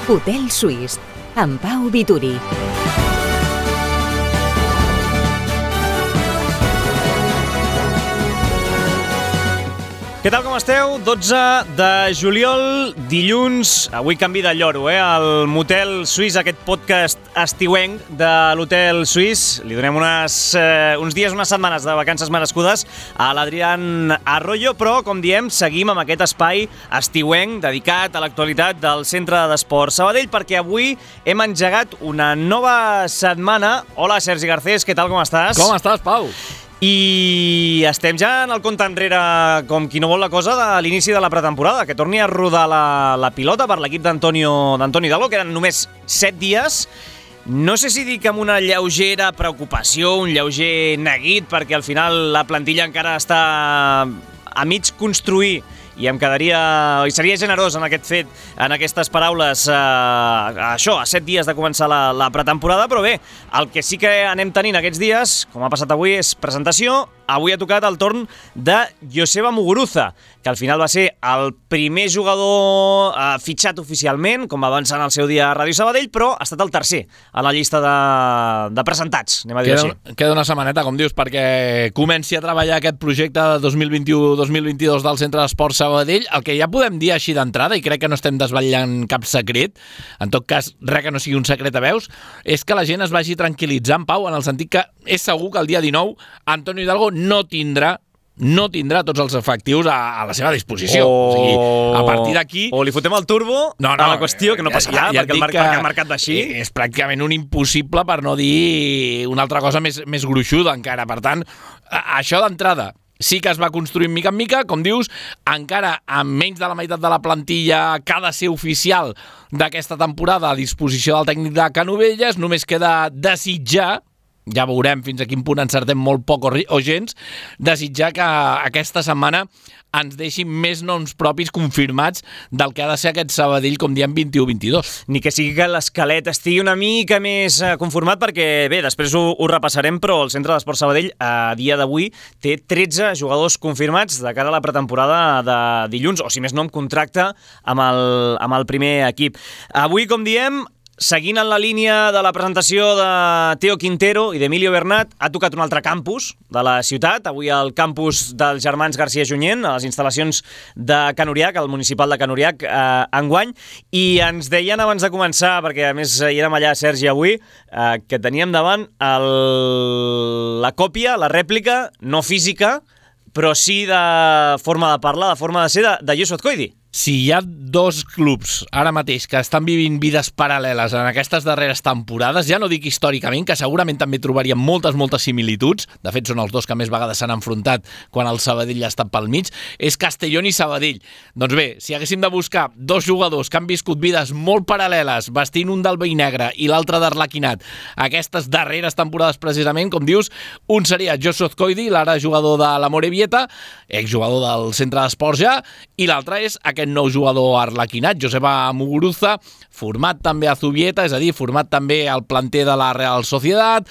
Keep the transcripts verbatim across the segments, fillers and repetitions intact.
Hotel Suís, amb Pau Vituri. Què tal, com esteu? dotze de juliol, dilluns, avui canvi de lloro, eh? El Motel Suís, aquest podcast estiuenc de l'Hotel Suís. Li donem unes, eh, uns dies, unes setmanes de vacances merescudes a l'Adrián Arroyo, però, com diem, seguim amb aquest espai estiuenc dedicat a l'actualitat del Centre d'Esport Sabadell, perquè avui hem engegat una nova setmana. Hola, Sergi Garcés, què tal, com estàs? Com estàs, Pau? I estem ja en el compte enrere, com qui no vol la cosa, de l'inici de la pretemporada, que torni a rodar la, la pilota per l'equip d'Antonio d'Antoni Hidalgo, que eren només set dies. No sé si dic amb una lleugera preocupació, un lleuger neguit, perquè al final la plantilla encara està a mig construir, i em quedaria, i seria generós en aquest fet, en aquestes paraules, eh, això, a set dies de començar la, la pretemporada, però bé, el que sí que anem tenint aquests dies, com ha passat avui, és presentació. Avui ha tocat el torn de Joseba Muguruza, que al final va ser el primer jugador eh, fitxat oficialment, com va avançar en el seu dia a Ràdio Sabadell, però ha estat el tercer a la llista de, de presentats, anem a dir queda, així. Queda una setmaneta, com dius, perquè comenci a treballar aquest projecte de dos mil vint-i-u dos mil vint-i-dos del Centre d'Esport Sabadell. El que ja podem dir així d'entrada, i crec que no estem desvetllant cap secret, en tot cas, res que no sigui un secret a veus, és que la gent es vagi tranquil·litzant, Pau, en el sentit que és segur que el dia dinou Antonio Hidalgo no tindrà no tindrà tots els efectius a, a la seva disposició. O... o sigui, a partir d'aquí... O li fotem el turbo no, no, a la qüestió, que no passarà, ja, ja perquè, el mar... perquè el mercat va així. És pràcticament un impossible, per no dir una altra cosa més, més gruixuda encara. Per tant, això d'entrada sí que es va construir mica en mica, com dius, encara amb menys de la meitat de la plantilla que ha de ser oficial d'aquesta temporada a disposició del tècnic de Canovelles. Només queda desitjar, ja veurem fins a quin punt encertem molt poc o, o gens, desitjar que aquesta setmana ens deixin més noms propis confirmats del que ha de ser aquest Sabadell, com diem, vint-i-u vint-i-dos. Ni que sigui que l'esquelet estigui una mica més conformat, perquè, bé, després ho, ho repassarem, però el Centre d'Esport Sabadell, a dia d'avui, té tretze jugadors confirmats de cara a la pretemporada de dilluns, o si més no, amb contracte amb el, amb el primer equip. Avui, com diem, seguint en la línia de la presentació de Teo Quintero i d'Emilio Bernat, ha tocat un altre campus de la ciutat, avui al campus dels germans García Junyent, a les instal·lacions de Can Uriach, al municipal de Can Uriach, eh, enguany, i ens deien abans de començar, perquè a més hi érem allà, Sergi, avui, eh, que teníem davant el... la còpia, la rèplica, no física, però sí de forma de parlar, de forma de ser, de, de Youssouf Koidi. Si hi ha dos clubs ara mateix que estan vivint vides paral·leles en aquestes darreres temporades, ja no dic històricament, que segurament també trobaríem moltes, moltes similituds, de fet són els dos que més vegades s'han enfrontat quan el Sabadell ha estat pel mig, és Castellón i Sabadell. Doncs bé, si haguéssim de buscar dos jugadors que han viscut vides molt paral·leles, vestint un del vell negre i l'altre d'arlequinat, aquestes darreres temporades precisament, com dius, un seria Youssouf Koidi, l'ara jugador de l'Amorebieta, exjugador del Centre d'Esports ja, i l'altre és aquest nou jugador arlequinat, Joseba Muguruza, format també a Zubieta, és a dir, format també al planter de la Real Sociedad.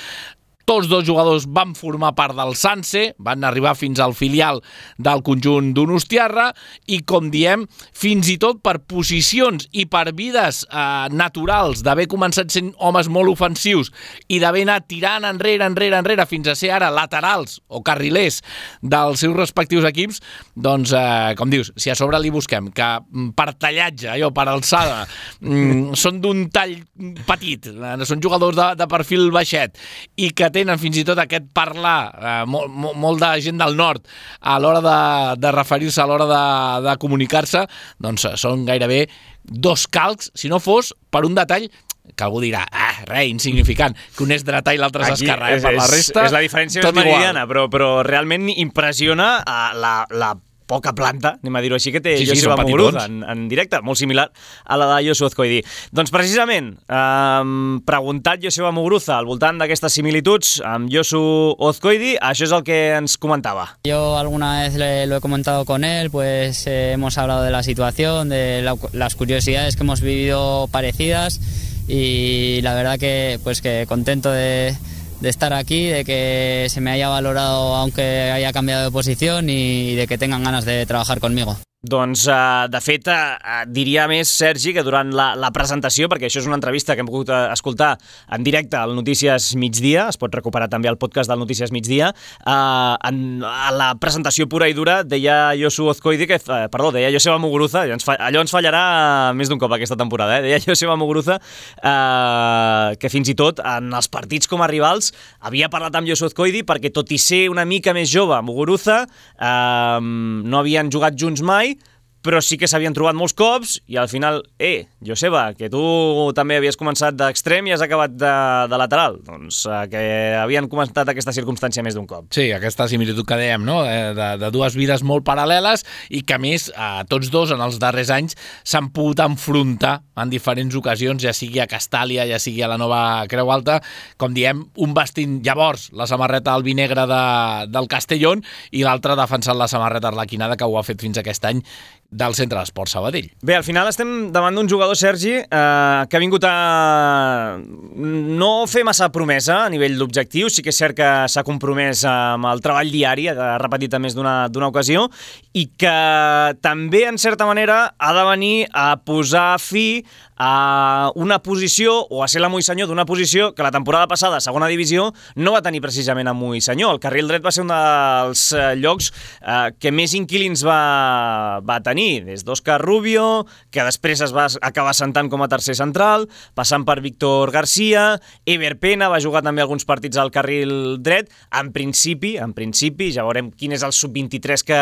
Tots dos jugadors van formar part del Sanse, van arribar fins al filial del conjunt donostiarra i, com diem, fins i tot per posicions i per vides eh, naturals d'haver començat sent homes molt ofensius i d'haver anat tirant enrere, enrere, enrere, fins a ser ara laterals o carrilers dels seus respectius equips, doncs, eh, com dius, si a sobre li busquem que per tallatge, allò, per alçada, mm, són d'un tall petit, eh, són jugadors de, de perfil baixet i que tenen fins i tot aquest parlar, eh, molt, molt de gent del nord a l'hora de, de referir-se, a l'hora de, de comunicar-se, doncs són gairebé dos calcs, si no fos per un detall que algú dirà, ah, res, insignificant, que un és dretà i l'altre és esquerrà, eh? Per la resta, és la diferència més meridiana, però, però realment impressiona la, la poca planta, anem a dir-ho així, que té sí, sí, Joseba Muguruza en, en directe, molt similar a la de Youssouf Koidi. Doncs precisament, eh, preguntat Joseba Muguruza al voltant d'aquestes similituds amb Youssouf Koidi, això és el que ens comentava. Yo alguna vez le, lo he comentado con él, pues eh, hemos hablado de la situación, de la, las curiosidades que hemos vivido parecidas y la verdad que, pues, que contento de... de estar aquí, de que se me haya valorado aunque haya cambiado de posición y de que tengan ganas de trabajar conmigo. Doncs, uh, de fet, uh, diria més, Sergi, que durant la, la presentació, perquè això és una entrevista que hem pogut uh, escoltar en directe al Notícies Migdia, es pot recuperar també al podcast del Notícies Migdia, uh, en, a la presentació pura i dura deia Josu Ozkoidi, que, uh, perdó, deia Joseba Muguruza, allò ens, fa, allò ens fallarà més d'un cop aquesta temporada, eh? Deia Joseba Muguruza uh, que fins i tot en els partits com a rivals havia parlat amb Josu Ozkoidi perquè, tot i ser una mica més jove, Muguruza, uh, no havien jugat junts mai, però sí que s'havien trobat molts cops i al final, eh, Joseba, que tu també havies començat d'extrem i has acabat de, de lateral. Doncs eh, que havien comentat aquesta circumstància més d'un cop. Sí, aquesta similitud que dèiem, no? De, de dues vides molt paral·leles i que, a més, eh, tots dos en els darrers anys s'han pogut enfrontar en diferents ocasions, ja sigui a Castàlia, ja sigui a la Nova Creu Alta, com diem, un vestint llavors la samarreta albinegre de, del Castellón i l'altre defensant la samarreta arlequinada, que ho ha fet fins aquest any del Centre d'Esports Sabadell. Bé, al final estem davant d'un jugador, Sergi, eh, que ha vingut a no fer massa promesa a nivell d'objectiu, sí que és cert que s'ha compromès amb el treball diari, ha repetit a més d'una d'una ocasió, i que també, en certa manera, ha de venir a posar fi a una posició, o a ser l'amo i senyor d'una posició que la temporada passada, a segona divisió, no va tenir precisament amo i senyor. El carril dret va ser un dels llocs eh, que més inquilins va, va tenir, des d'Òscar Rubio, que després es va acabar sentant com a tercer central, passant per Víctor García, Ever Pena va jugar també alguns partits al carril dret. En principi, en principi, ja veurem quin és el sub vint-i-tres que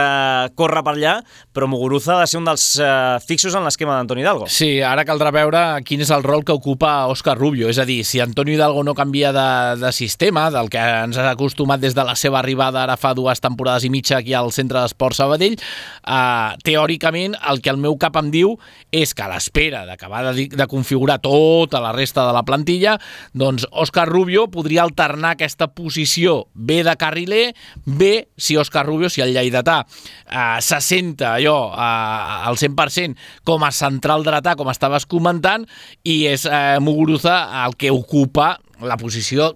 corre per allà, però Muguruza ha de ser un dels eh, fixos en l'esquema d'Antoni Hidalgo. Sí, ara caldrà veure quin és el rol que ocupa Òscar Rubio, és a dir, si Antonio Hidalgo no canvia de, de sistema, del que ens ha acostumat des de la seva arribada ara fa dues temporades i mitja aquí al Centre d'Esports Sabadell, eh, teòricament el que el meu cap em diu és que a l'espera d'acabar de, de configurar tota la resta de la plantilla, doncs Òscar Rubio podria alternar aquesta posició bé de carriler, bé si Òscar Rubio, si el lleidatà eh, se senta allò eh, al cent per cent com a central dretà, com estaves comentant, i és eh, Muguruza el que ocupa la posició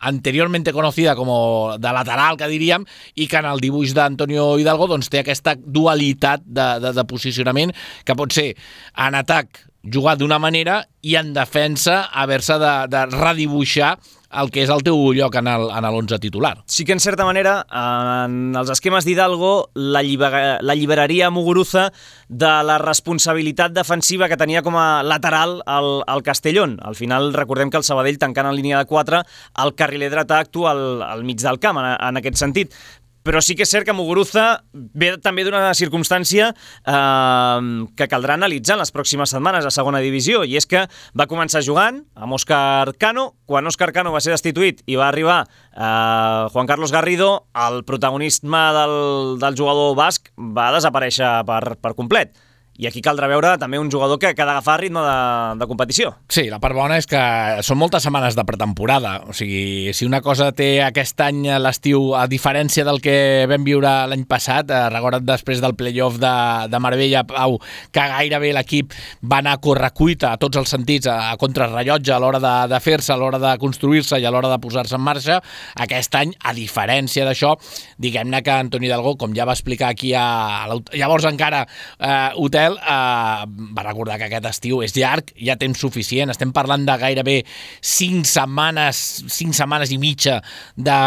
anteriormente conocida como de lateral, que diríem, i que en el dibuix d'Antonio Hidalgo doncs, té aquesta dualitat de, de, de posicionament que pot ser en atac jugar d'una manera i en defensa haver-se de, de redibuixar el que és el teu lloc en l'onze titular. Sí que, en certa manera, en els esquemes d'Hidalgo l'alliberaria Muguruza de la responsabilitat defensiva que tenia com a lateral al, al Castellón. Al final, recordem que el Sabadell, tancant en línia de quatre, el carriler dretà actua al, al mig del camp, en, en aquest sentit. Però sí que és cert que Muguruza ve també d'una circumstància eh, que caldrà analitzar en les pròximes setmanes a segona divisió, i és que va començar jugant amb Óscar Cano. Quan Óscar Cano va ser destituït i va arribar eh, Juan Carlos Garrido, el protagonisme del, del jugador basc va desaparèixer per, per complet. I aquí caldrà veure també un jugador que, que ha d'agafar ritme de, de competició. Sí, la part bona és que són moltes setmanes de pretemporada. O sigui, si una cosa té aquest any l'estiu, a diferència del que vam viure l'any passat, eh, recorda't després del play-off de, de Marbella, Pau, que gairebé l'equip va anar a correcuita a tots els sentits, a, a contrarrellotge a l'hora de, de fer-se, a l'hora de construir-se i a l'hora de posar-se en marxa. Aquest any, a diferència d'això, diguem-ne que Antoni Hidalgo, com ja va explicar aquí a, a llavors encara eh, hotel, Uh, va recordar que aquest estiu és llarg, hi ha temps suficient, estem parlant de gairebé cinc setmanes, cinc setmanes i mitja de,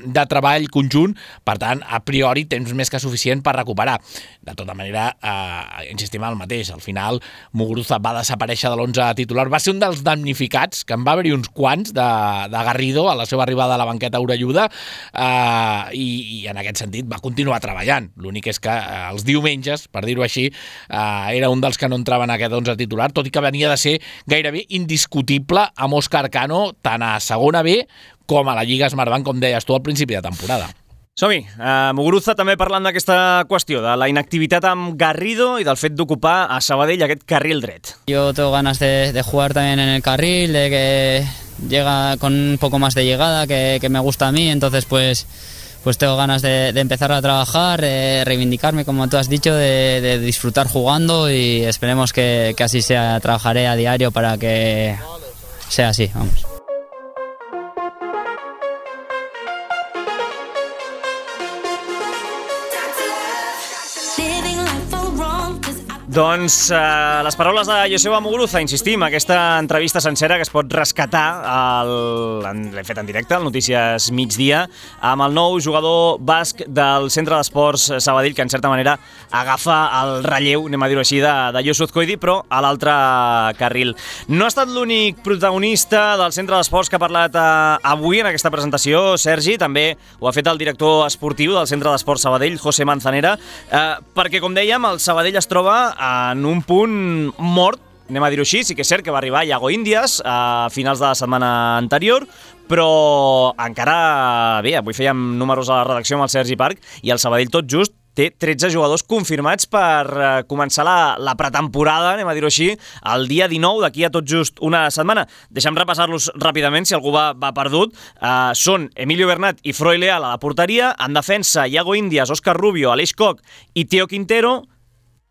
de treball conjunt, per tant, a priori, temps més que suficient per recuperar. De tota manera, uh, insistim en el mateix, al final Muguruza va desaparèixer de l'onze titular, va ser un dels damnificats, que en va haver-hi uns quants de, de Garrido a la seva arribada a la banqueta orelluda, uh, i, i en aquest sentit va continuar treballant. L'únic és que uh, els diumenges, per dir-ho així, uh, era un dels que no entrava en aquest onze titular, tot i que venia de ser gairebé indiscutible amb Óscar Cano, tant a segona B com a la Lliga Smartbank, com deies tu al principi de temporada. Som-hi. Uh, Muguruza també parlant d'aquesta qüestió, de la inactivitat amb Garrido i del fet d'ocupar a Sabadell aquest carril dret. Yo tengo ganas de, de jugar también en el carril, de que llega con un poco más de llegada, que, que me gusta a mí, entonces pues... pues tengo ganas de, de empezar a trabajar, de reivindicarme, como tú has dicho, de, de disfrutar jugando, y esperemos que, que así sea. Trabajaré a diario para que sea así, vamos. Living life all wrong. Doncs eh, les paraules de Joseba Muguruza, insistim, aquesta entrevista sencera que es pot rescatar, l'hem fet en directe, al Notícies Migdia, amb el nou jugador basc del Centre d'Esports Sabadell, que en certa manera agafa el relleu, anem a dir-ho així, de, de Josu Azcoidi, però a l'altre carril. No ha estat l'únic protagonista del Centre d'Esports que ha parlat eh, avui en aquesta presentació, Sergi, també ho ha fet el director esportiu del Centre d'Esports Sabadell, José Manzanera, eh, perquè, com dèiem, el Sabadell es troba en un punt mort, anem a dir-ho així. Sí que és cert que va arribar Iago Índies a finals de la setmana anterior, però encara, bé, avui fèiem números a la redacció amb el Sergi Parc i el Sabadell tot just té tretze jugadors confirmats per uh, començar la, la pretemporada, anem a dir-ho així, el dia dinou, d'aquí a tot just una setmana. Deixem repassar-los ràpidament, si algú va, va perdut. Uh, són Emilio Bernat i Froi Leal a la porteria, en defensa Iago Índies, Òscar Rubio, Aleix Koch i Teo Quintero,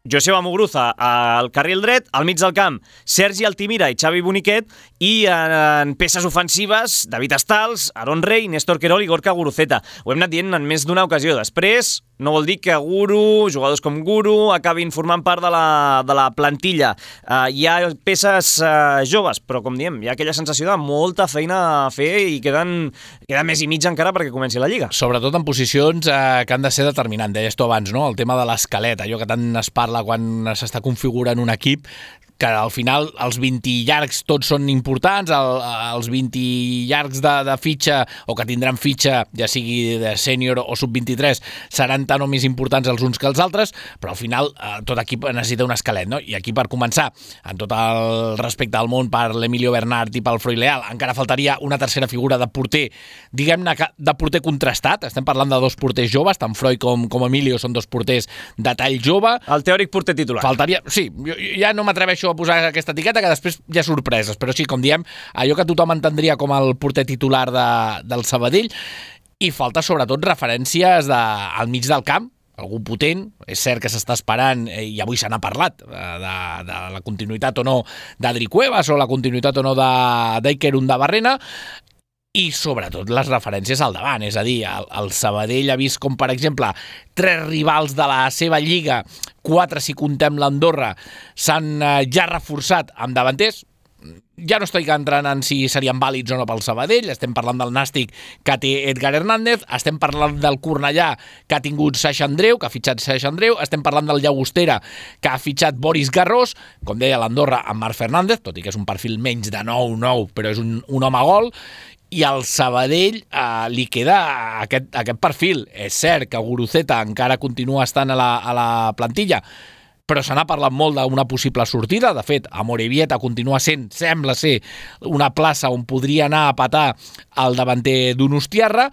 Joseba Muguruza al carril dret, al mig del camp Sergi Altimira i Xavi Boniquet, i en peces ofensives David Estals, Aaron Rey, Néstor Querol i Gorka Guruceta. Ho hem anat dient en més d'una ocasió. Després no vol dir que Guru, jugadors com Guru, acabin formant part de la, de la plantilla. Uh, hi ha peces uh, joves, però com diem, hi ha aquella sensació de molta feina a fer i queden, queda més i mig encara perquè comenci la Lliga. Sobretot en posicions eh, que han de ser determinants. Deies tu abans, no? El tema de l'esquelet, allò que tant es parla quan s'està configurant un equip, que al final els vint llargs tots són importants, el, els vint llargs de, de fitxa o que tindran fitxa, ja sigui de sènior o sub vint-i-tres, seran tan o més importants els uns que els altres, però al final eh, tot equip necessita un esquelet, no? I aquí, per començar, en tot el respecte al món per l'Emilio Bernat i pel Froi Leal, encara faltaria una tercera figura de porter, diguem-ne de porter contrastat. Estem parlant de dos porters joves, tant Froi com, com Emilio són dos porters de tall jove. El teòric porter titular. Faltaria, sí, jo ja no m'atreveixo a posar aquesta etiqueta, que després hi ha sorpreses, però sí, com diem, allò que tothom entendria com el porter titular de, del Sabadell, i falta sobretot referències de, al mig del camp, algú potent. És cert que s'està esperant, i avui se n'ha parlat, de, de la continuïtat o no d'Adri Cuevas o la continuïtat o no d'Iker Undabarrena, i sobretot les referències al davant, és a dir, el, el Sabadell ha vist com, per exemple, tres rivals de la seva lliga, quatre si contem l'Andorra, s'han eh, ja reforçat amb davanters. Ja no estic entrant en si serien vàlids o no pel Sabadell, estem parlant del Nàstic, que té Edgar Hernández, estem parlant del Cornellà, que ha tingut Saixa Andreu, que ha fitxat Saixa Andreu, estem parlant del Llagostera, que ha fitxat Boris Garrós, com deia l'Andorra amb Marc Fernández, tot i que és un perfil menys de nou nou, però és un, un home gol, i al Sabadell eh, li queda aquest, aquest perfil. És cert que Guruceta encara continua estant a la, a la plantilla, però se n'ha parlat molt d'una possible sortida. De fet, Amorebieta continua sent, sembla ser, una plaça on podria anar a petar el davanter Donostiarra,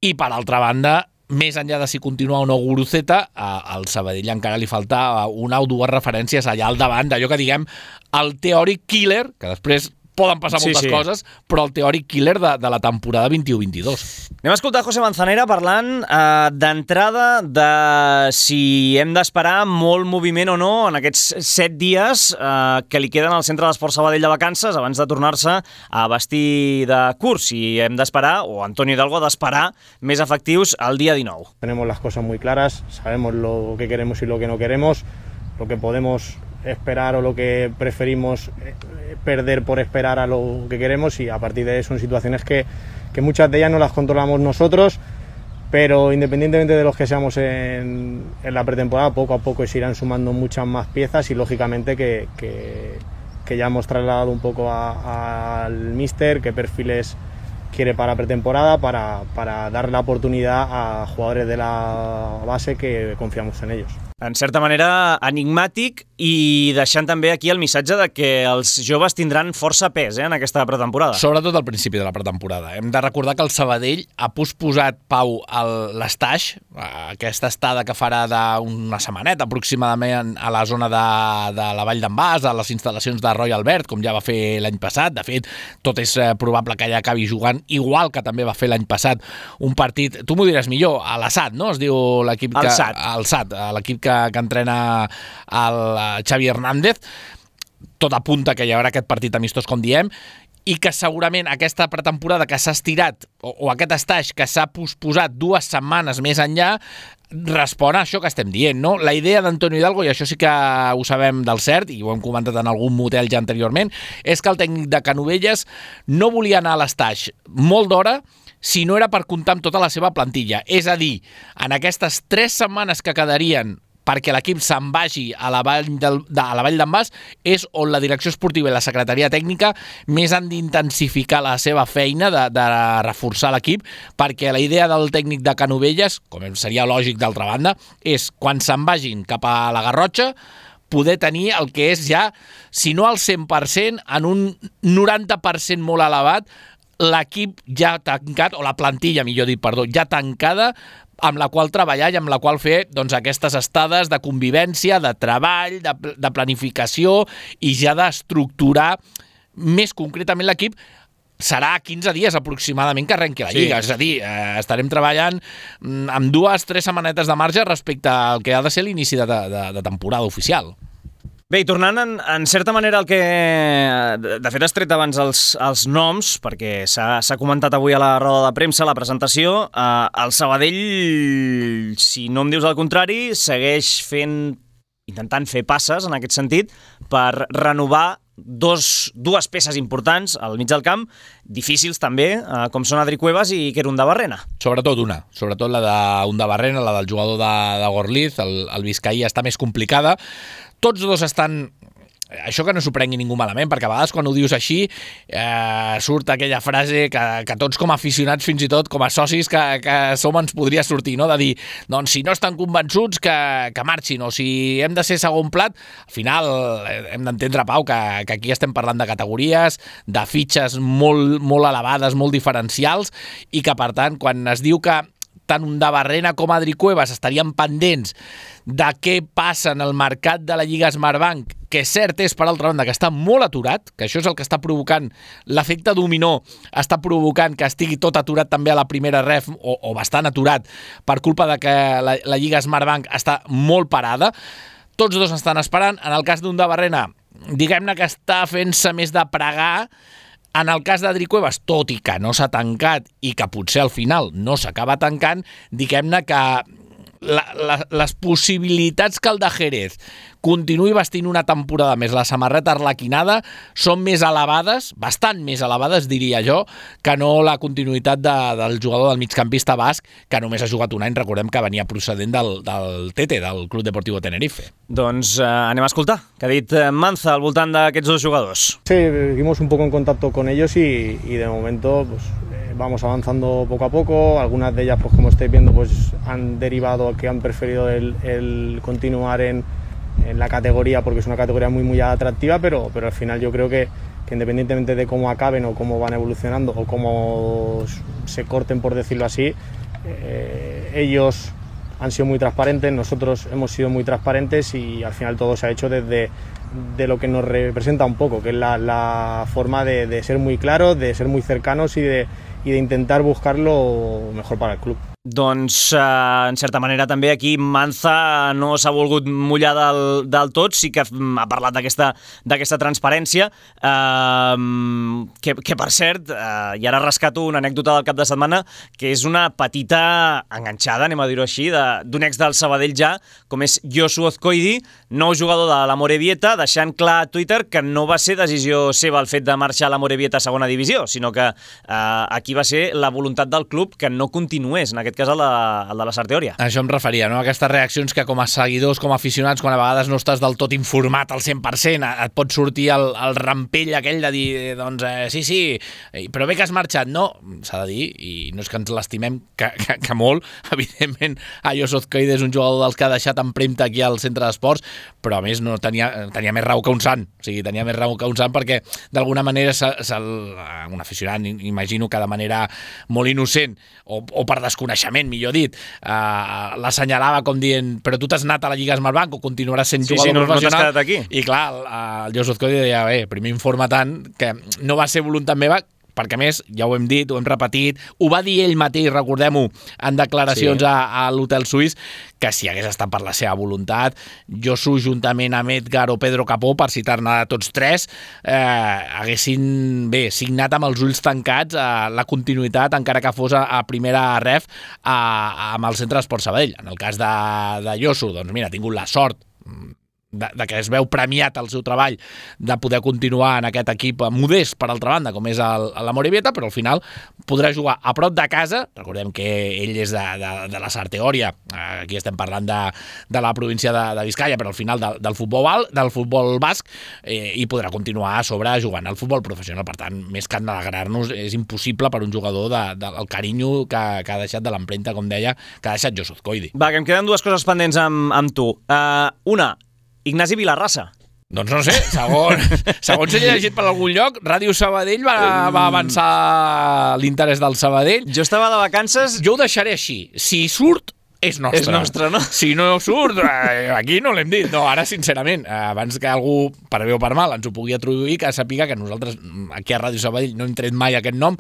i per altra banda, més enllà de si continua o no Guruceta, al Sabadell encara li falta una o dues referències allà al davant, d'allò que diguem el teòric killer, que després poden passar moltes sí, sí. coses, però el teòric killer de, de la temporada vint-i-u vint-i-dos. Anem a escoltar José Manzanera parlant eh, d'entrada de si hem d'esperar molt moviment o no en aquests set dies eh, que li queden al Centre d'Esports Sabadell de vacances abans de tornar-se a vestir de curs. Si hem d'esperar, o Antonio Hidalgo ha d'esperar més efectius el dia dinou. Tenemos las cosas muy claras, sabemos lo que queremos y lo que no queremos, lo que podemos esperar o lo que preferimos perder por esperar a lo que queremos, y a partir de eso son situaciones que, que muchas de ellas no las controlamos nosotros, pero independientemente de los que seamos en, en la pretemporada, poco a poco se irán sumando muchas más piezas, y lógicamente que, que, que ya hemos trasladado un poco a, al míster qué perfiles quiere para pretemporada, para, para dar la oportunidad a jugadores de la base que confiamos en ellos. En certa manera enigmàtic, i deixant també aquí el missatge de que els joves tindran força pes eh, en aquesta pretemporada. Sobretot al principi de la pretemporada. Hem de recordar que el Sabadell ha posposat, Pau, l'estaix, aquesta estada que farà d'una setmaneta aproximadament a la zona de, de la Vall d'en Bas, a les instal·lacions de Roy Albert, com ja va fer l'any passat. De fet, tot és probable que ja acabi jugant, igual que també va fer l'any passat, un partit, tu m'ho diràs millor, a l'Assat, no? Es diu l'equip que... Al S A T. Al S A T, l'equip que que entrena el Xavi Hernández. Tot apunta que hi haurà aquest partit amistós, com diem, i que segurament aquesta pretemporada que s'ha estirat, o, o aquest estaix que s'ha posposat dues setmanes més enllà, respon a això que estem dient, no? La idea d'Antonio Hidalgo, i això sí que ho sabem del cert, i ho hem comentat en algun motel ja anteriorment, és que el tècnic de Canovelles no volia anar a l'estaix molt d'hora si no era per comptar amb tota la seva plantilla. És a dir, en aquestes tres setmanes que quedarien perquè l'equip se'n vagi a la Vall del, de, a la Vall d'en Bas, és on la direcció esportiva i la secretaria tècnica més han d'intensificar la seva feina de, de reforçar l'equip, perquè la idea del tècnic de Canovelles, com seria lògic d'altra banda, és quan se'n vagin cap a la Garrotxa poder tenir el que és ja, si no al cent per cent, en un noranta per cent molt elevat, l'equip ja tancat, o la plantilla, millor dit, perdó, ja tancada, amb la qual treballar i amb la qual fer doncs, aquestes estades de convivència, de treball, de, de planificació i ja d'estructurar més concretament l'equip. Serà quinze dies aproximadament que arrenqui la Lliga, sí. És a dir, eh, estarem treballant amb dues, tres setmanetes de marge respecte al que ha de ser l'inici de, de, de temporada oficial. Bé, i tornant en, en certa manera al que... De fet, has tret abans els, els noms, perquè s'ha comentat avui a la roda de premsa, a la presentació. Eh, el Sabadell, si no em dius el contrari, segueix fent, intentant fer passes, en aquest sentit, per renovar dos, dues peces importants al mig del camp, difícils també, eh, com són Adri Cuevas i Kerundabarrena. Sobretot una, sobretot la d'Undabarrena, la del jugador de, de Gorliz, el, el Vizcaí està més complicada. Tots dos estan... Això que no s'ho prengui ningú malament, perquè a vegades quan ho dius així eh, surt aquella frase que, que tots com a aficionats, fins i tot com a socis que, que som, ens podria sortir, no? De dir, doncs si no estan convençuts que, que marxin, o si hem de ser segon plat, al final hem d'entendre, Pau, que, que aquí estem parlant de categories, de fitxes molt, molt elevades, molt diferencials, i que per tant, quan es diu que tant Undabarrena com Adri Cuevas estarien pendents de què passa en el mercat de la Lliga Smartbank, que cert és, per altra banda, que està molt aturat, que això és el que està provocant, l'efecte dominó està provocant que estigui tot aturat també a la primera ref, o, o bastant aturat, per culpa de que la, la Lliga Smartbank està molt parada. Tots dos estan esperant. En el cas d'Undabarrena, diguem-ne que està fent-se més de pregar. En el cas d'Adri Cuevas, tot i que no s'ha tancat i que potser al final no s'acaba tancant, diguem-ne que la, la, les possibilitats que el de Jerez continuï vestint una temporada més la samarreta arlequinada són més elevades, bastant més elevades, diria jo, que no la continuïtat de, del jugador del migcampista basc, que només ha jugat un any, recordem que venia procedent del, del Tete, del Club Deportivo Tenerife. Doncs eh, anem a escoltar què ha dit Manza al voltant d'aquests dos jugadors. Sí, seguimos un poco en contacto con ellos y, y de momento pues, eh, vamos avanzando poco a poco. Algunas de ellas, pues como estáis viendo, pues han derivado que han preferido el, el continuar en en la categoría porque es una categoría muy muy atractiva, pero, pero al final yo creo que, que independientemente de cómo acaben o cómo van evolucionando o cómo se corten, por decirlo así, eh, ellos han sido muy transparentes, nosotros hemos sido muy transparentes y al final todo se ha hecho desde de lo que nos representa un poco, que es la, la forma de, de ser muy claros, de ser muy cercanos y de, y de intentar buscar lo mejor para el club. Doncs, eh, en certa manera, també aquí Manza no s'ha volgut mullar del, del tot, sí que ha parlat d'aquesta d'aquesta transparència, eh, que, que per cert, eh, i ara rescato una anècdota del cap de setmana, que és una petita enganxada, anem a dir-ho així, d'un ex del Sabadell ja, com és Josu Ozkoidi, nou jugador de l'Amorebieta, deixant clar a Twitter que no va ser decisió seva el fet de marxar a l'Amorebieta a segona divisió, sinó que eh, aquí va ser la voluntat del club que no continués, en aquest cas el de, el de la Sarteòria. Això em referia, no? Aquestes reaccions que com a seguidors, com a aficionats, quan a vegades no estàs del tot informat al cent per cent, et pot sortir el, el rampell aquell de dir, doncs, eh, sí, sí, però bé que has marxat. No, s'ha de dir, i no és que ens l'estimem que, que, que molt, evidentment, a Josu Ozkoidi és un jugador dels que ha deixat empremta aquí al centre d'esports, però a més no tenia, tenia més raó que un sant, o sigui, tenia més raó que un sant perquè d'alguna manera se, se, un aficionat, imagino que de manera molt innocent o, o per desconeixement, millor dit, uh, l'assenyalava com dient, però tu t'has anat a la Lliga Smartbank o continuaràs sent sí, jugador sí, no, professional. No t'has quedat aquí. I clar, el, el Josu Ozkoidi deia, bé, primer informa tant que no va ser voluntat meva, perquè a més, ja ho hem dit, ho hem repetit, ho va dir ell mateix, recordem-ho, en declaracions sí. a, a l'Hotel Suís, que si hagués estat per la seva voluntat, Josu, juntament amb Edgar o Pedro Capó, per citar-ne tots tres, eh, haguessin, bé, signat amb els ulls tancats eh, la continuïtat, encara que fos a, a primera ref, a, a, amb el Centre d'Esport Sabadell. En el cas de, de Josu, doncs mira, ha tingut la sort De, de que es veu premiat el seu treball de poder continuar en aquest equip modest, per altra banda, com és el, la Morevieta, però al final podrà jugar a prop de casa. Recordem que ell és de, de, de la Sarteòria, aquí estem parlant de, de la província de, de Vizcaya, però al final de, del, futbol, del futbol basc, eh, i podrà continuar a sobre jugant al futbol professional. Per tant, més que alegrar-nos, és impossible per un jugador de, de, el carinyo que, que ha deixat de l'empremta, com deia, que ha deixat Josu Azcoidi. Va, que em queden dues coses pendents amb, amb tu. Uh, una, Ignasi Vilarrasa. Doncs no sé, segons, segons he llegit per algun lloc, Ràdio Sabadell va, va avançar l'interès del Sabadell. Jo estava de vacances... Jo ho deixaré així. Si surt, és nostre. És nostre, no? Si no surt, aquí no l'hem dit. No, ara, sincerament, abans que algú, per bé o per mal, ens ho pugui atribuir, que sàpiga que nosaltres, aquí a Ràdio Sabadell, no hem tret mai aquest nom,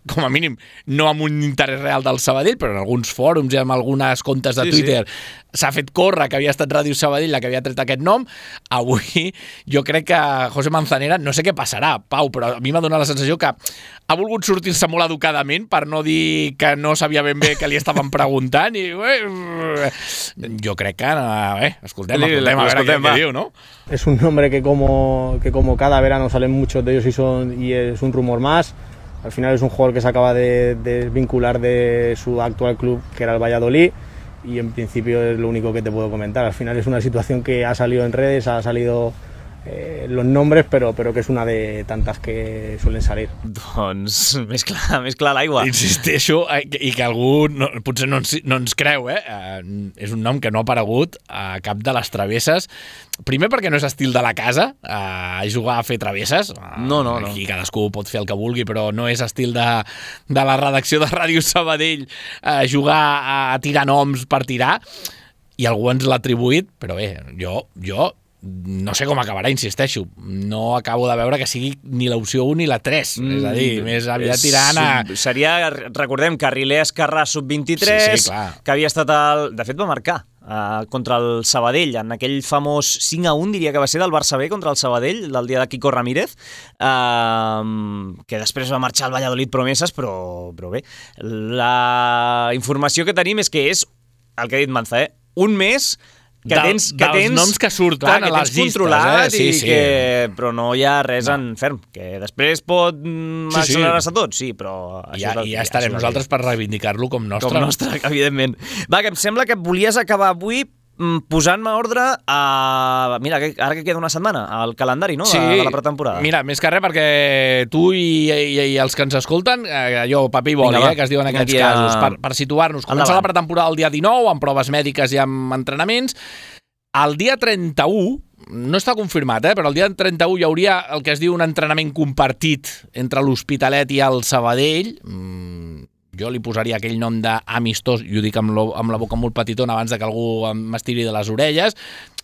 com a mínim, no amb un interès real del Sabadell, però en alguns fòrums i amb algunes comptes de Twitter sí, sí. s'ha fet córrer que havia estat Ràdio Sabadell la que havia tret aquest nom. Avui jo crec que José Manzanera, no sé què passarà, Pau, però a mi m'ha donat la sensació que ha volgut sortir-se molt educadament per no dir que no sabia ben bé que li estaven preguntant i eh, jo crec que eh, escoltem, escoltem, a veure escoltem, què, què diu, ¿no? Es un nombre que como, que como cada verano salen muchos de ellos y, son, y es un rumor más. Al final es un jugador que se acaba de, de vincular de su actual club, que era el Valladolid, y en principio es lo único que te puedo comentar. Al final es una situación que ha salido en redes, ha salido eh, los nombres, però, però que és una de tantes que suelen salir. Doncs més clar, més clar l'aigua. Insisteixo, i que algú no, potser no ens, no ens creu, eh? Uh, és un nom que no ha aparegut a cap de les travesses. Primer perquè no és estil de la casa, uh, jugar a fer travesses. Uh, no, no, no. Aquí cadascú pot fer el que vulgui, però no és estil de, de la redacció de Ràdio Sabadell uh, jugar a, a tirar noms per tirar. I algú ens l'ha atribuït, però bé, jo... jo no sé com acabarà, insisteixo. No acabo de veure que sigui ni l'opció un ni la tres. Mm, és a dir, més aviat tirant a... Seria, recordem, Carriler Escarrà sub vint-i-tres, sí, sí, que havia estat el... De fet, va marcar uh, contra el Sabadell, en aquell famós cinc a un, diria que va ser del Barça B contra el Sabadell, del dia de Quico Ramírez, uh, que després va marxar al Valladolid Promeses, però, però bé. La informació que tenim és que és, el que ha dit Manza, eh? un mes... que tens, que dels tens, noms que surten clar, a les llistes, controlat, eh? Sí, i sí. que, però no hi ha res no. en ferm, que després pot sí, accelerar-se sí. tot, sí, però... I ja, i ja estarem nosaltres per reivindicar-lo com nostre. Com nostre, evidentment. Va, que em sembla que volies acabar avui posant-me ordre a... Mira, ara que queda una setmana, al calendari, no?, sí, de, de la pretemporada. Mira, més que res perquè tu i, i, i els que ens escolten, allò, paper i boli, Vinga, eh, que es diuen en aquests dia... casos, per, per situar-nos. Comença la pretemporada el dia dinou, amb proves mèdiques i amb entrenaments. El dia trenta-u, no està confirmat, eh, però el dia trenta-u hi hauria el que es diu un entrenament compartit entre l'Hospitalet i el Sabadell. Mm, jo li posaria aquell nom d'amistós, i ho dic amb, lo, amb la boca molt petitona abans de que algú m'estiri de les orelles.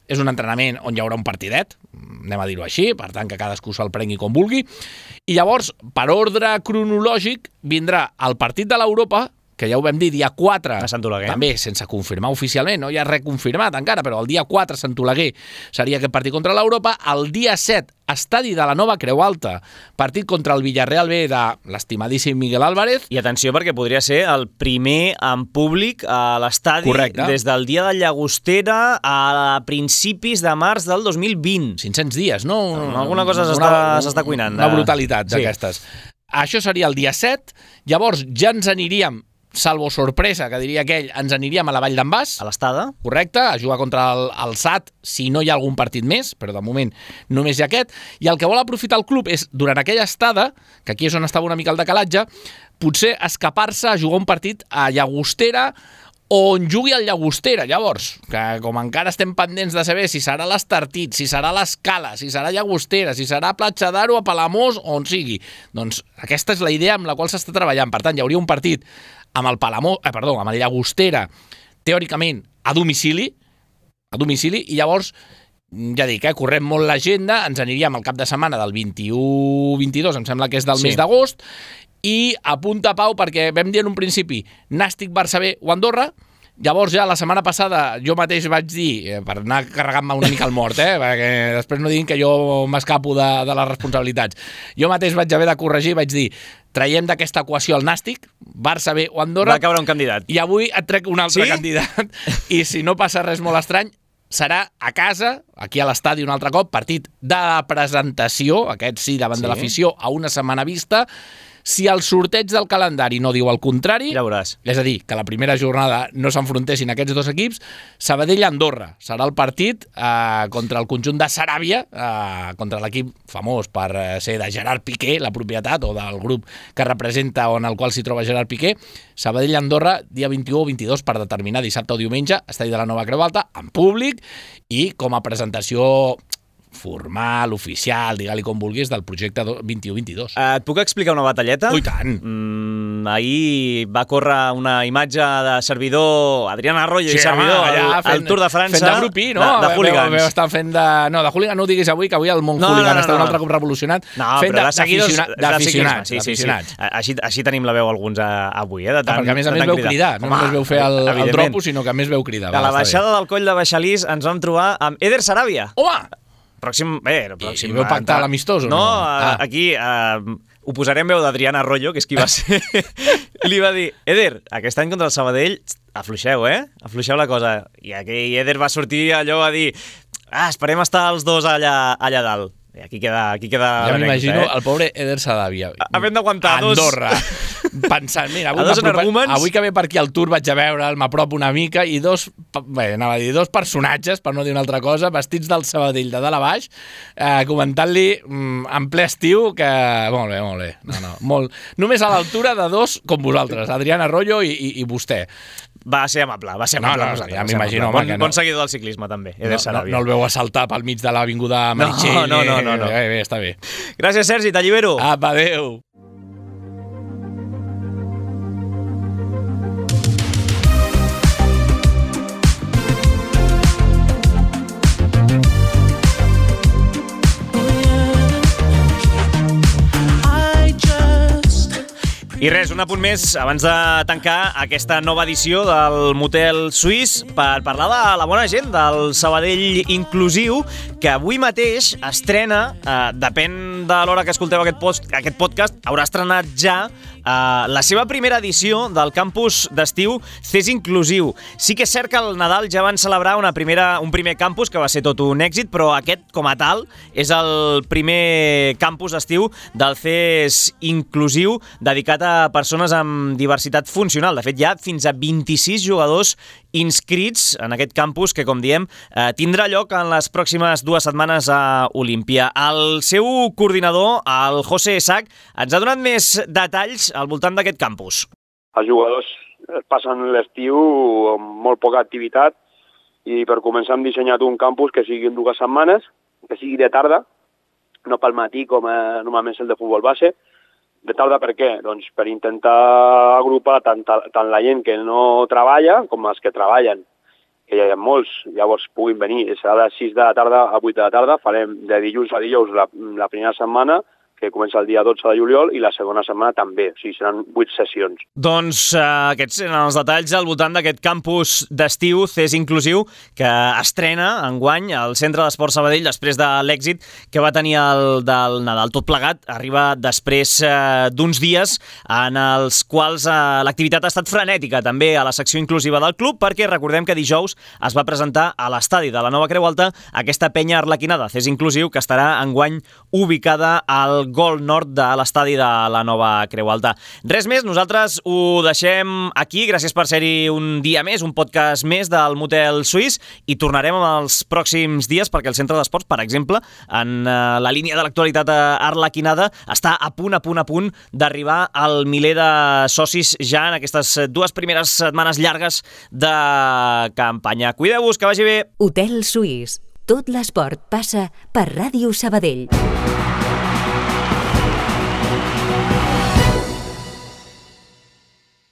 És un entrenament on hi haurà un partidet, anem a dir-ho així, per tant que cadascú se'l prengui com vulgui. I llavors, per ordre cronològic, vindrà el partit de l'Europa, que ja ho vam dir, dia quatre, també sense confirmar oficialment, no hi ha res confirmat encara, però el dia quatre a Sant Oleguer seria aquest partit contra l'Europa. El dia set, estadi de la Nova Creu Alta, partit contra el Villarreal B de l'estimadíssim Miguel Álvarez. I atenció, perquè podria ser el primer en públic a l'estadi des del dia de Llagostera a principis de març del dos mil vint. cinc-cents dies, no? Alguna cosa s'està cuinant. Una brutalitat d'aquestes. Sí. Això seria el dia set, llavors ja ens aniríem, salvo sorpresa, que diria aquell, ens aniríem a la Vall d'en Bas. A l'Estada. Correcte, a jugar contra el, el S A T, si no hi ha algun partit més, però de moment només hi ha aquest. I el que vol aprofitar el club és, durant aquella estada, que aquí és on estava una mica el decalatge, potser escapar-se a jugar un partit a Llagostera, on jugui el Llagostera. Llavors, que com encara estem pendents de saber si serà l'Estartit, si serà l'Escala, si serà Llagostera, si serà Platja d'Aro, a Palamós, on sigui, doncs aquesta és la idea amb la qual s'està treballant. Per tant, hi hauria un partit amb el Palamós, eh, perdó, amb el Llagostera, teòricament a domicili, a domicili, i llavors ja dic, eh, correm molt l'agenda, ens aniríem al cap de setmana del vint-i-u vint-i-dos, em sembla que és del Sí. mes d'agost, i a punta pau, perquè vam dir en un principi Nàstic, Barça B o Andorra. Llavors ja la setmana passada jo mateix vaig dir, eh, per anar carregant-me una mica al mort, eh, perquè després no diguin que jo m'escapo de, de les responsabilitats. Jo mateix vaig haver de corregir, vaig dir, traiem d'aquesta equació el Nàstic, Barça B o Andorra. Va caure un candidat. I avui et trec un altre Sí? candidat. I si no passa res molt estrany, serà a casa, aquí a l'estadi un altre cop, partit de presentació, aquest sí, davant Sí. de l'afició, a una setmana vista. Si el sorteig del calendari no diu el contrari, Ja veuràs. és a dir, que la primera jornada no s'enfrontessin aquests dos equips, Sabadell-Andorra serà el partit eh, contra el conjunt de Saràbia, eh, contra l'equip famós per eh, ser de Gerard Piqué, la propietat, o del grup que representa o en el qual s'hi troba Gerard Piqué. Sabadell-Andorra, dia vint-i-u o vint-i-dos, per determinar dissabte o diumenge, estadi de la Nova Creu Alta, en públic, i com a presentació formal, oficial, digue-li com vulguis, del projecte vint-i-u vint-i-dos. Et puc explicar una batalleta? Ui, tant! Mm, ahir va córrer una imatge de servidor, Adrián Arroyo Sí, i servidor, home, allà al, fent- al Tour de França. Fent de grupí, no? De, de hooligans. Veu, veu, estan fent de... No, de hooligan no ho diguis avui, que avui el món No, hooligan no, no, està un no. altre cop revolucionat. No, fent però de, de seguidors d'aficiona- de d'aficionats. ciclisme. Sí, sí, d'aficionats. sí. Així, així tenim la veu alguns a, avui, eh? De tant, Ah, perquè a més a de més tant veu cridar, no Home, només veu fer el, el evidentment. dropo, sinó que a més veu cridar. A la Va, està bé. baixada del coll de Baixalís ens vam trobar amb Eder Saràbia. Home! Pròxim... Bé, pròxim... I veu pactar l'amistós o no? No, Ah. aquí uh, ho posarem veu d'Adrián Arroyo, que és qui va ser. Li va dir, Eder, aquest any contra el Sabadell, afluixeu, eh? Afluixeu la cosa. I aquell Eder va sortir allò a dir, ah, esperem estar els dos allà, allà dalt. I aquí queda, aquí queda Ja l'anècdota, m'imagino eh? el pobre Eder Saràbia. Havent d'aguantar dos... Andorra. Pensant, mira, avui, A dos m'apropa- energúmens. avui que ve per aquí al Tour vaig a veure'l, m'apropo una mica, i dos, bé, anava a dir, dos personatges, per no dir una altra cosa, vestits del Sabadell de dalt a baix, eh, comentant-li mm, en ple estiu que... Molt bé, molt bé. No, no, molt... Només a l'altura de dos com vosaltres, Adrián Arroyo i, i, i vostè. Va ser amable, va ser No, amable. no, amb nosaltres, ja va ser m'imagino, amable. home, Bon, que no. bon seguidor del ciclisme, també, Eder No, no, Saràbia. no el veu assaltar pel mig de l'avinguda Meritxell. no, no, no, no. Eh, bé, està bé. Gràcies, Sergi, t'allibero. Apa, adéu. I res, un apunt més abans de tancar aquesta nova edició del Motel Suís per parlar de la bona gent del Sabadell Inclusiu, que avui mateix estrena, eh, depèn de l'hora que escolteu aquest, post, aquest podcast, haurà estrenat ja eh, la seva primera edició del campus d'estiu C E S Inclusiu. Sí que és cert que al Nadal ja van celebrar una primera, un primer campus que va ser tot un èxit, però aquest, com a tal, és el primer campus d'estiu del C E S Inclusiu dedicat a persones amb diversitat funcional. De fet, hi ha fins a vint-i-sis jugadors inscrits en aquest campus que, com diem, eh, tindrà lloc en les pròximes dues setmanes a Olímpia. El seu coordinador, el José Sac, ens ha donat més detalls al voltant d'aquest campus. Els jugadors passen l'estiu amb molt poca activitat i per començar hem dissenyat un campus que sigui en dues setmanes, que sigui de tarda, no pel matí com eh, normalment és el de futbol base. De tarda per què? Doncs per intentar agrupar tant, tant la gent que no treballa com els que treballen, que ja hi ha molts, llavors puguin venir. Serà de sis de la tarda a vuit de la tarda, farem de dilluns a dijous la, la primera setmana, que comença el dia dotze de juliol, i la segona setmana també, o sigui, seran vuit sessions. Doncs eh, aquests eren els detalls al voltant d'aquest campus d'estiu C E S Inclusiu que estrena enguany al Centre d'Esport Sabadell després de l'èxit que va tenir el del Nadal. Tot plegat arriba després eh, d'uns dies en els quals eh, l'activitat ha estat frenètica també a la secció inclusiva del club, perquè recordem que dijous es va presentar a l'estadi de la Nova Creu Alta aquesta penya arlequinada C E S Inclusiu que estarà enguany ubicada al Gol Nord de l'estadi de la Nova Creu Alta. Res més, nosaltres ho deixem aquí. Gràcies per ser-hi un dia més, un podcast més del Motel Suís, i tornarem en els pròxims dies perquè el Centre d'Esports, per exemple, en la línia de l'actualitat arlequinada, està a punt, a punt, a punt d'arribar al miler de socis ja en aquestes dues primeres setmanes llargues de campanya. Cuideu-vos, que vagi bé! Hotel Suís. Tot l'esport passa per Ràdio Sabadell.